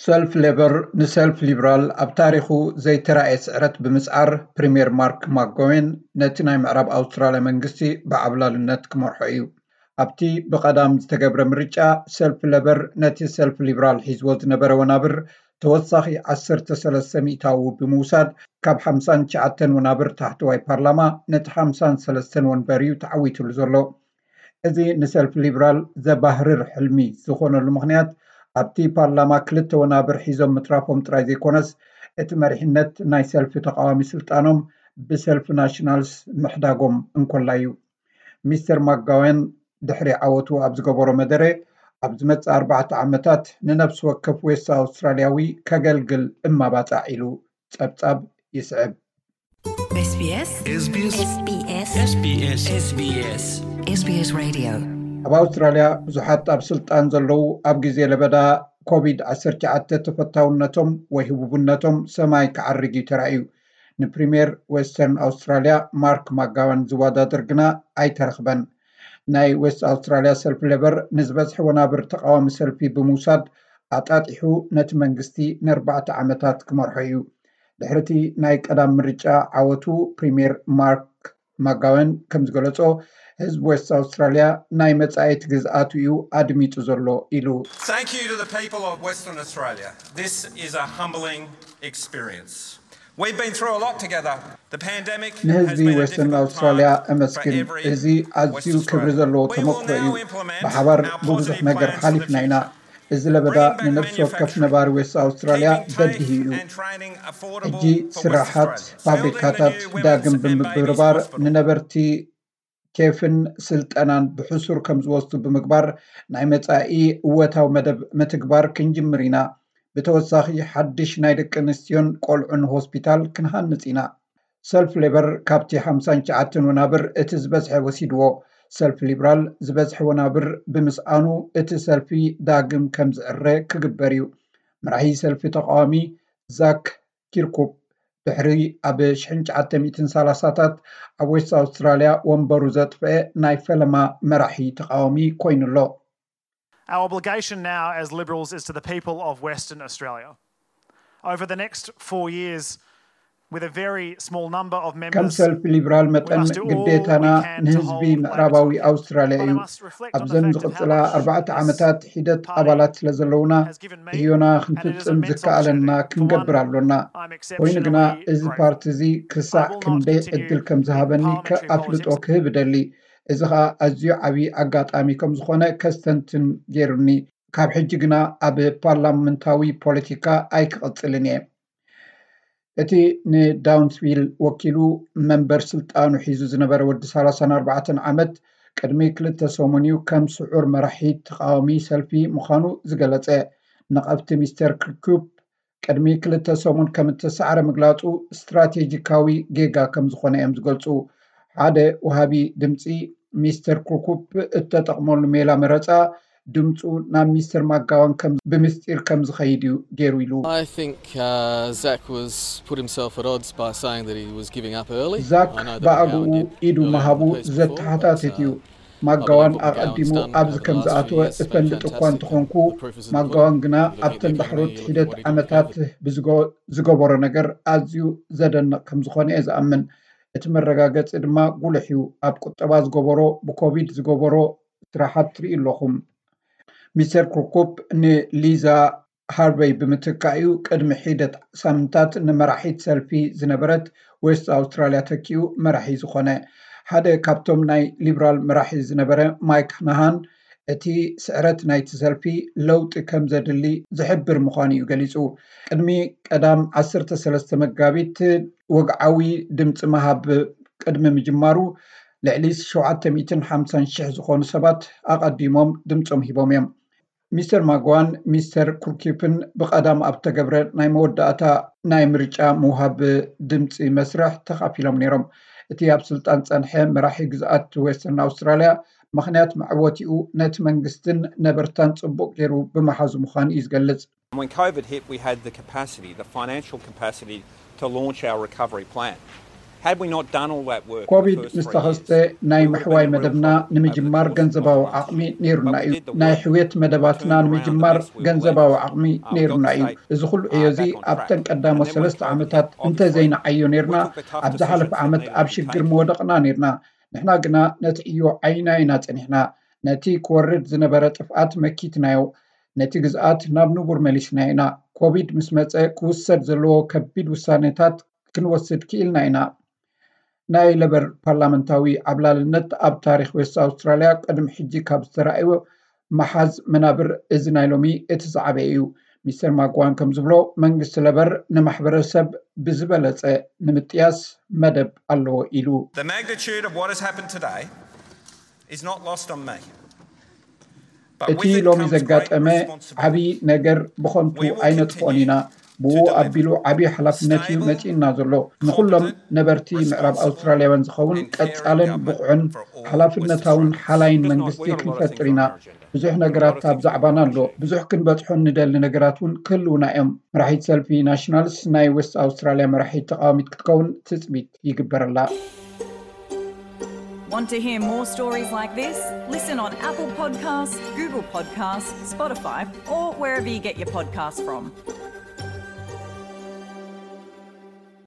ሰልፍ ሌበር ንሰልፍ ሊብራል ኣብ ታሪኹ ዘይተራእየ ስዕረት ብምስዓር፣ ፕሪምየር ማርክ ማክጎዌን ነቲ ናይ ምዕራብ ኣውስትራልያ መንግስቲ ብዓብላልነት ክመርሖ እዩ። ኣብቲ ብቐዳም ዝተገብረ ምርጫ፣ ሰልፍ ሌበር ነቲ ሰልፍ ሊብራል ሒዝዎ ዝነበረ ወናብር ተወሳኺ ዓሰርተ ሰለስተ ሚእታዊ ብምውሳድ፣ ካብ ሓምሳን ትሽዓተን ወናብር ታሕተዋይ ፓርላማ ነቲ ሓምሳን ሰለስተን ወንበር እዩ ተዓዊትሉ ዘሎ። እዚ ንሰልፍ ሊብራል ዘባህርር ሕልሚ ዝኾነሉ ምኽንያት፣ ኣብቲ ፓርላማ ክልተ ወናብር ሒዞም ምትራፎም ጥራይ ዘይኮነስ፣ እቲ መሪሕነት ናይ ሰልፊ ተቓዋሚ ስልጣኖም ብሰልፊ ናሽናልስ ምሕዳጎም እንኮላ እዩ። ሚስተር ማክጋወን ድሕሪ ዓወቱ ኣብ ዝገበሮ መደረ፣ ኣብ ዝመጽእ ኣርባዕተ ዓመታት ንነፍሲ ወከፍ ዌስት ኣውስትራልያዊ ከገልግል እማባጻዕ ኢሉ ጸብጻብ ይስዕብ። SBS SBS SBS SBS SBS Radio. ኣብ ኣውስትራልያ ብዙሓት ኣብ ስልጣን ዘለዉ ኣብ ግዜ ለበዳ ኮቪድ ዓሰርተ ትሽዓተ ተፈታውነቶም ወይ ህቡብነቶም ሰማይ ክዓርግ እዩ ተራእዩ። ንፕሪምየር ዌስተርን ኣውስትራልያ ማርክ ማክጋወን ዝወዳደር ግና ኣይተረኽበን። ናይ ዌስት ኣውስትራልያ ሰልፊ ሌበር ንዝበዝሐ ወናብር ተቓዋሚ ሰልፊ ብምውሳድ ኣጣጢሑ ነቲ መንግስቲ ንኣርባዕተ ዓመታት ክመርሖ እዩ። ድሕሪቲ ናይ ቀዳም ምርጫ ዓወቱ ፕሪምየር ማርክ ማክጋወን ከም ዝገለጾ፣ ህዝቢ ዌስት ኣውስትራልያ ናይ መጻኢት ግዝኣቱ እዩ ኣድሚጹ ዘሎ ኢሉ። Thank you to the people of Western Australia. This is a humbling experience. We've been through a lot together. The pandemic has ንህዝቢ been a ዌስተርን difficult ኣውስትራልያ time for እመስግን። every እዚ ኣዝዩ Western ክብሪ Australian. ዘለዎ We will ተመክሮ እዩ። now implement ብሓባር our ብብዙሕ positive ነገር plans for the ሓሊፍና ኢና። future. እዚ ለበዳ Bringing back ንነፍሲ ወከፍ manufacturing, ነባሪ ዌስት ኣውስትራልያ keeping በዲሁ TAFE እዩ። and training affordable ሕጂ for Western ስራሓት፣ Australians, building the ፋብሪካታት new women's ዳግም and babies ብምብርባር hospital. ንነበርቲ ቴፍን ስልጠናን ብሕሱር ከም ዝወስዱ ብምግባር ናይ መጻኢ እወታዊ መደብ ምትግባር ክንጅምር ኢና። ብተወሳኺ ሓድሽ ናይ ደቂ ኣንስትዮን ቆልዑን ሆስፒታል ክንሃንጽ ኢና። ሰልፍ ሌበር ካብቲ ሓምሳን ትሽዓተን ወናብር እቲ ዝበዝሐ ወሲድዎ። ሰልፍ ሊብራል ዝበዝሐ ወናብር ብምስኣኑ እቲ ሰልፊ ዳግም ከም ዝዕረ ክግበር እዩ። መራሒ ሰልፊ ተቓዋሚ ዛክ ኪርኩፕ ድሕሪ ኣብ ሽሕን ትሽዓተ ሚእትን ሰላሳታት ኣብ ዌስት ኣውስትራልያ ወንበሩ ዘጥፍአ ናይ ፈለማ መራሒ ተቓዋሚ ኮይኑ ኣሎ። Our obligation now as Liberals is to the people of Western Australia. Over the next four years, with a very small number of ከም members, ሰልፊ ሊብራል we መጠን must do all we ግዴታና can to ንህዝቢ hold Labor ምዕራባዊ to account. ኣውስትራልያ But I እዩ። must reflect on the ኣብዘን fact of how ዝቕጽላ much ኣርባዕተ this ዓመታት ሒደት party ኣባላት ስለ ዘለውና፣ has given me, and it is ክንፍጽም immense ዝከኣለና opportunity. For ክንገብር one, ኣሎና። I'm ኮይኑ ግና exceptionally እዚ grateful. ፓርቲ እዚ I ክሳዕ will not ክንደይ continue ዕድል ከም in ዝሃበኒ parliamentary ኣፍልጦ politics. ክህብ እደሊ። እዚ ኸኣ ኣዝዩ ዓብዪ ኣጋጣሚ ከም ዝኾነ ከስተንትን ገይሩኒ። ካብ ሕጂ ግና ኣብ ፓርላመንታዊ ፖለቲካ ኣይክቕጽልን እየ። እቲ ንዳውንስቪል ወኪሉ መንበር ስልጣኑ ሒዙ ዝነበረ ወዲ ሰላሳን ኣርባዕተን ዓመት፣ ቅድሚ ክልተ ሰሙን እዩ ከም ስዑር መራሒ ተቓዋሚ ሰልፊ ምዃኑ ዝገለጸ። ነቐፍቲ ሚስተር ክርኩፕ ቅድሚ ክልተ ሰሙን ከም እተሳዕረ ምግላጹ ስትራቴጂካዊ ጌጋ ከም ዝኾነ እዮም ዝገልጹ። ሓደ ወሃቢ ድምጺ ሚስተር ክርኩፕ እተጠቕመሉ ሜላ መረጻ ድምጹ ናብ ሚስተር ማክጋወን ከም ብምስጢር ከም ዝኸይድ እዩ ገይሩ ኢሉ። I think uh, Zach was put himself at odds by saying that he was giving up early. ዛክ I know that ብኣግኡ McGowan did ኢዱ early on in ምሃቡ the piece before, but, ዘተሓታትት እዩ። uh, ማክጋወን ኣቐዲሙ ኣብዚ ከም ዝኣተወ እፈልጥ እኳ እንተኾንኩ፣ ማክጋወን ግና ኣብተን ዳሕሮት ሒደት ዓመታት ብዝጎ- ዝገበሮ ነገር ኣዝዩ ዘደንቕ ከም ዝኾነ እየ ዝኣምን። እቲ መረጋገጺ ድማ ጉሉሕ እዩ። ኣብ ቁጠባ ዝገበሮ፣ ብኮቪድ ዝገበሮ ስራሓት ትርእዩ ኣለኹም። ሚስተር ክርኩፕ ንሊዛ ሃርቨይ ብምትካእ'ዩ ቅድሚ ሒደት ሳምንታት ንመራሒት ሰልፊ ዝነበረት ዌስት ኣውስትራልያ ተኪኡ መራሒ ዝኾነ። ሓደ ካብቶም ናይ ሊብራል መራሒ ዝነበረ ማይክ ናሃን፣ እቲ ስዕረት ናይቲ ሰልፊ ለውጢ ከም ዘድሊ ዝሕብር ምዃኑ እዩ ገሊጹ። ቅድሚ ቀዳም ዓሰርተ ሰለስተ መጋቢት ወግዓዊ ድምፂ ምሃብ ቅድሚ ምጅማሩ፣ ልዕሊ ሸውዓተ ሚእትን ሓምሳን ሽሕ ዝኾኑ ሰባት ኣቐዲሞም ድምፆም ሂቦም እዮም። ሚስተር ማክጋወን ሚስተር ክርኩፕን ብቐዳም ኣብ ተገብረ ናይ መወዳእታ ናይ ምርጫ ምውሃብ ድምፂ መስርሕ ተኻፊሎም ነይሮም። እቲ ኣብ ስልጣን ጸንሐ መራሒ ግዝኣት ዌስተርን ኣውስትራልያ፣ ምኽንያት መዕወቲኡ ነቲ መንግስትን ነበርታን ጽቡቕ ገይሩ ብምሓዙ ምዃኑ እዩ ዝገልጽ። When COVID hit, we had the capacity, the financial capacity, to launch our recovery plan. Had we not done all that work, ኮቪድ ምስ ተኸስተ ናይ ምሕዋይ መደብና ንምጅማር ገንዘባዊ ዓቕሚ ነይሩና እዩ። ናይ ሕውየት መደባትና ንምጅማር ገንዘባዊ ዓቕሚ ነይሩና እዩ። እዚ ኩሉ ዕዮ እዚ ኣብተን ቀዳሞት ሰለስተ ዓመታት እንተዘይንዓዮ ነይርና፣ ኣብ ዝሓለፈ ዓመት ኣብ ሽግር ምወደቕና ነይርና። ንሕና ግና ነቲ ዕዮ ዓይና ኢና ጸኒሕና። ነቲ ክወርድ ዝነበረ ጥፍኣት መኪትናዮ። ነቲ ግዝኣት ናብ ንቡር መሊስና ኢና። ኮቪድ ምስ መጸ ክውሰድ ዘለዎ ከቢድ ውሳኔታት ክንወስድ ክኢልና ኢና። ናይ ለበር ፓርላመንታዊ ዓብላልነት ኣብ ታሪኽ ዌስት ኣውስትራልያ ቅድሚ ሕጂ ካብ ዝተራእዩ መሓዝ መናብር እዚ ናይ ሎሚ እቲ ዝዓበየ እዩ። ሚስተር ማጓን ከም ዝብሎ መንግስቲ ለበር ንማሕበረሰብ ብዝበለጸ ንምጥያስ መደብ ኣለዎ ኢሉ። The magnitude of what has happened today is not lost on me. But እቲ with it ሎሚ comes great ዘጋጠመ responsibility. ዓብዪ ነገር ብኸንቱ ኣይነጥፎን ኢና። ብኡ ኣቢሉ ዓብዪ ሓላፍነት እዩ መጺእና ዘሎ። ንኹሎም ነበርቲ ምዕራብ ኣውስትራልያውያን ዝኸውን ቀጻልን ብቑዕን ሓላፍነታውን ሓላይን መንግስቲ ክንፈጥር ኢና። ብዙሕ ነገራት ኣብ ዛዕባና ኣሎ። ብዙሕ ክንበጽሖ ንደሊ ነገራት እውን ክህልውና እዮም። መራሒት ሰልፊ ናሽናልስ ናይ ዌስት ኣውስትራልያ መራሒት ተቃዋሚት ክትከውን ትጽቢት ይግበረላ። Want to hear more stories like this? Listen on Apple Podcasts, Google Podcasts, Spotify, or wherever you get your podcasts from.